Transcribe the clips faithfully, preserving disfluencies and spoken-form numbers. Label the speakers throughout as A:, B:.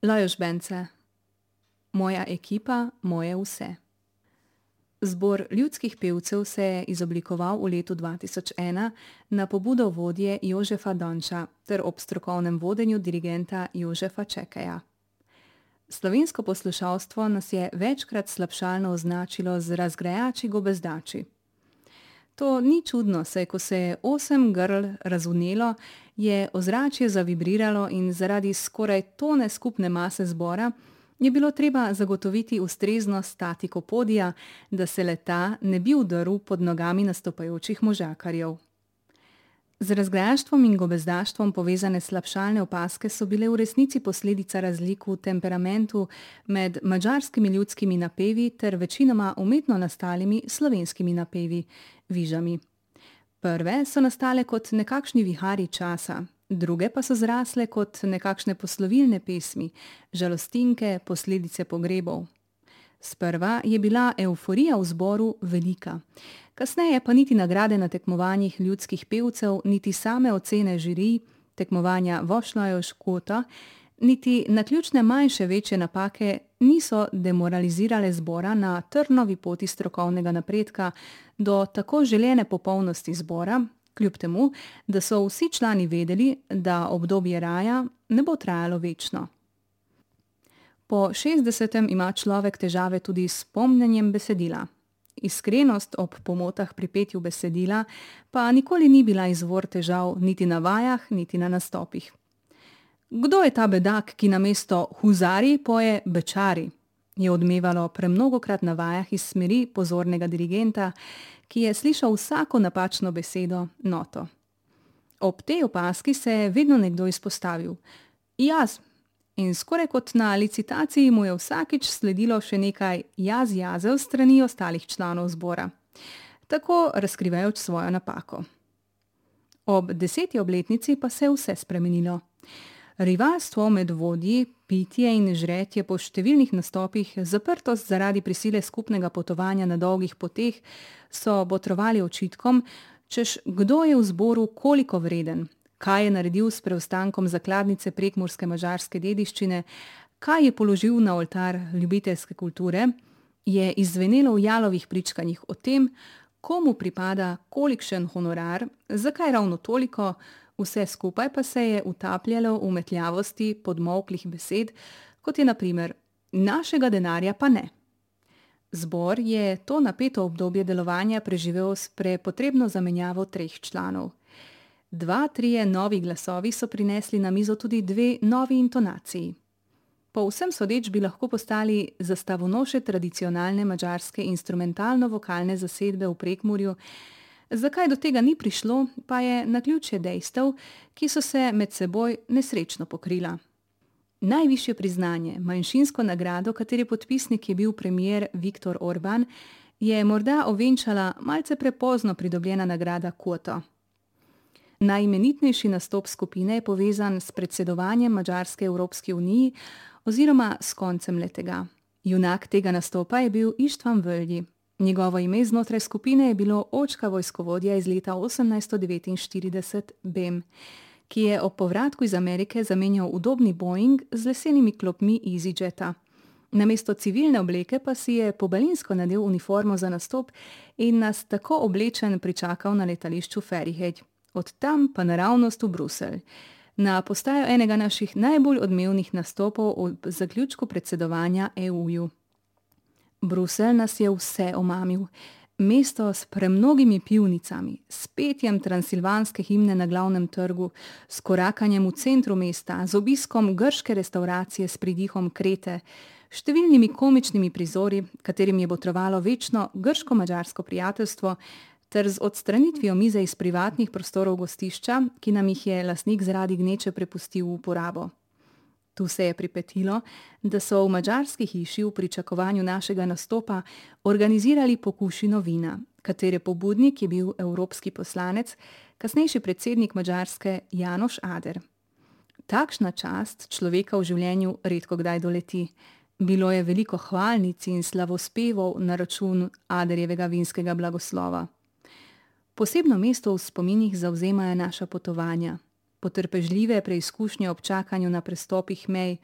A: Lajos Bence. Moja ekipa, moje vse. Zbor ljudskih pevcev se je izoblikoval v letu dva tisoč ena na pobudo vodje Jožefa Donča ter ob strokovnem vodenju dirigenta Jožefa Čekeja. Slovensko poslušalstvo nas je večkrat slabšalno označilo z razgrajači gobezdači. To ni čudno, saj ko se je osem grl razvnelo, je ozračje zavibriralo in zaradi skoraj tone skupne mase zbora je bilo treba zagotoviti ustrezno statiko podija, da se leta ne bi udrl pod nogami nastopajočih možakarjev. Z razgrajaštvom in gobezdaštvom povezane slabšalne opazke so bile v resnici posledica razlik v temperamentu med madžarskimi ljudskimi napevi ter večinoma umetno nastalimi slovenskimi napevi, vižami. Prve so nastale kot nekakšni viharji časa, druge pa so zrasle kot nekakšne poslovilne pesmi, žalostinke, posledice pogrebov. Sprva je bila evforija v zboru velika, kasneje pa niti nagrade na tekmovanjih ljudskih pevcev, niti same ocene žirij, tekmovanja Vošlajos Kota, niti naključne manjše večje napake niso demoralizirale zbora na trnovi poti strokovnega napredka do tako želene popolnosti zbora, kljub temu, da so vsi člani vedeli, da obdobje raja ne bo trajalo večno. Po šestdesetem ima človek težave tudi s pomnjenjem besedila. Iskrenost ob pomotah pri petju besedila pa nikoli ni bila izvor težav niti na vajah, niti na nastopih. Kdo je ta bedak, ki namesto huzari poje bečari, je odmevalo premnogokrat na vajah iz smeri pozornega dirigenta, ki je slišal vsako napačno besedo, noto. Ob tej opazki se je vedno nekdo izpostavil. Jaz. In skoraj kot na licitaciji mu je vsakič sledilo še nekaj jaz jazev strani ostalih članov zbora, tako razkrivajoč svojo napako. Ob deseti obletnici pa se je vse spremenilo. Rivalstvo med vodji, pitje in žretje po številnih nastopih, zaprtost zaradi prisile skupnega potovanja na dolgih poteh so botrovali očitkom, češ kdo je v zboru koliko vreden, kaj je naredil s preostankom zakladnice prekmurske madžarske dediščine, kaj je položil na oltar ljubiteljske kulture, je izzvenelo v jalovih pričkanjih o tem, komu pripada kolikšen honorar, zakaj ravno toliko, vse skupaj pa se je utapljalo v metljavosti podmolklih besed, kot je na primer našega denarja pa ne. Zbor je to napeto obdobje delovanja preživel s prepotrebno zamenjavo treh članov. Dva, trije novi glasovi so prinesli na mizo tudi dve novi intonaciji. Po vsem sodeč bi lahko postali zastavonoše tradicionalne madžarske instrumentalno-vokalne zasedbe v Prekmurju. Zakaj do tega ni prišlo, pa je naključje dejstev, ki so se med seboj nesrečno pokrila. Najvišje priznanje, manjšinsko nagrado, katere podpisnik je bil premier Viktor Orban, je morda ovenčala malce prepozno pridobljena nagrada Koto. Najimenitnejši nastop skupine je povezan s predsedovanjem Madžarske Evropski uniji oziroma s koncem letega. Junak tega nastopa je bil Ištvan Völgyi. Njegovo ime znotraj skupine je bilo očka vojskovodja iz leta osemnajststo devetinštirideset Bem, ki je ob povratku iz Amerike zamenjal udobni Boeing z lesenimi klopmi EasyJeta. Namesto civilne obleke pa si je pobalinsko nadel uniformo za nastop in nas tako oblečen pričakal na letališču Ferihej. Od tam pa naravnost v Bruselj, na postajo enega naših najbolj odmevnih nastopov ob zaključku predsedovanja E U-ju. Bruselj nas je vse omamil. Mesto s premnogimi pivnicami, s petjem transilvanske himne na glavnem trgu, s korakanjem v centru mesta, z obiskom grške restavracije s pridihom Krete, številnimi komičnimi prizori, katerim je botrovalo večno grško-madžarsko prijateljstvo, ter z odstranitvijo mize iz privatnih prostorov gostišča, ki nam jih je lastnik zaradi gneče prepustil v uporabo. Tu se je pripetilo, da so v madžarski hiši v pričakovanju našega nastopa organizirali pokušino vina, katere pobudnik je bil evropski poslanec, kasnejši predsednik Madžarske Janoš Ader. Takšna čast človeka v življenju redko kdaj doleti. Bilo je veliko hvalnic in slavospevov na račun Aderjevega vinskega blagoslova. Posebno mesto v spominih zavzemajo naša potovanja. Potrpežljive preizkušnje ob čakanju na prestopih mej,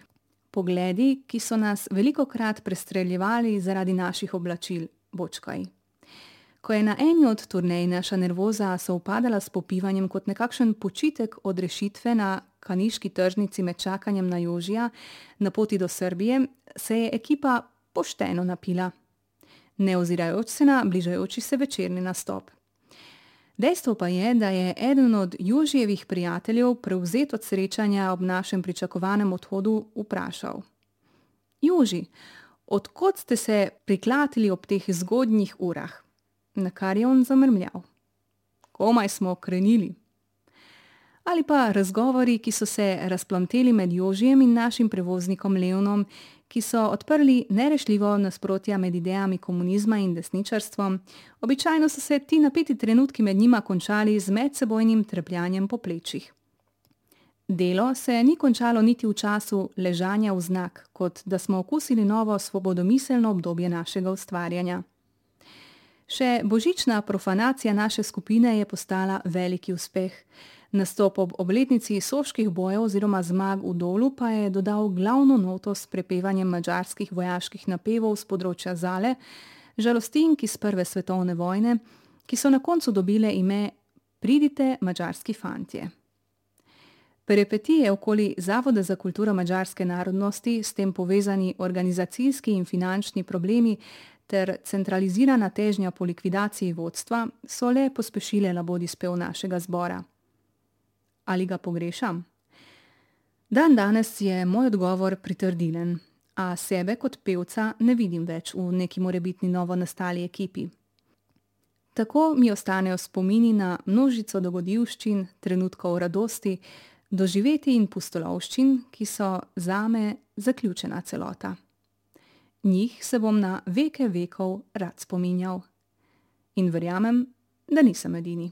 A: pogledi, ki so nas velikokrat prestreljevali zaradi naših oblačil, bočkaj. Ko je na eni od turnej naša nervoza sovpadala s popivanjem kot nekakšen počitek od rešitve na kaniški tržnici med čakanjem na Jožija na poti do Srbije, se je ekipa pošteno napila, ne ozirajoč se na bližajoči se večerni nastop. Dejstvo pa je, da je eden od Jožijevih prijateljev prevzet od srečanja ob našem pričakovanem odhodu vprašal: Joži, od kod ste se priklatili ob teh zgodnjih urah? Na kar je on zamrmljal: komaj smo krenili. Ali pa razgovori, ki so se razplamteli med Jožijem in našim prevoznikom Leonom, ki so odprli nerešljivo nasprotja med idejami komunizma in desničarstvom, običajno so se ti napeti trenutki med njima končali z medsebojnim trepljanjem po plečih. Delo se ni končalo niti v času ležanja v znak, kot da smo okusili novo svobodomiselno obdobje našega ustvarjanja. Še božična profanacija naše skupine je postala veliki uspeh. Nastop ob obletnici soških bojev oziroma zmag v Dolu pa je dodal glavno noto s prepevanjem madžarskih vojaških napevov z področja Zale, žalostink iz prve svetovne vojne, ki so na koncu dobile ime Pridite, madžarski fantje. Peripetije okoli Zavoda za kulturo madžarske narodnosti, s tem povezani organizacijski in finančni problemi ter centralizirana težnja po likvidaciji vodstva so le pospešile labodispev našega zbora. Ali ga pogrešam? Dan danes je moj odgovor pritrdilen, a sebe kot pevca ne vidim več v neki morebitni novo nastali ekipi. Tako mi ostanejo spomini na množico dogodivščin, trenutkov radosti, doživeti in pustolovščin, ki so zame zaključena celota. Njih se bom na veke vekov rad spominjal. In verjamem, da nisem edini.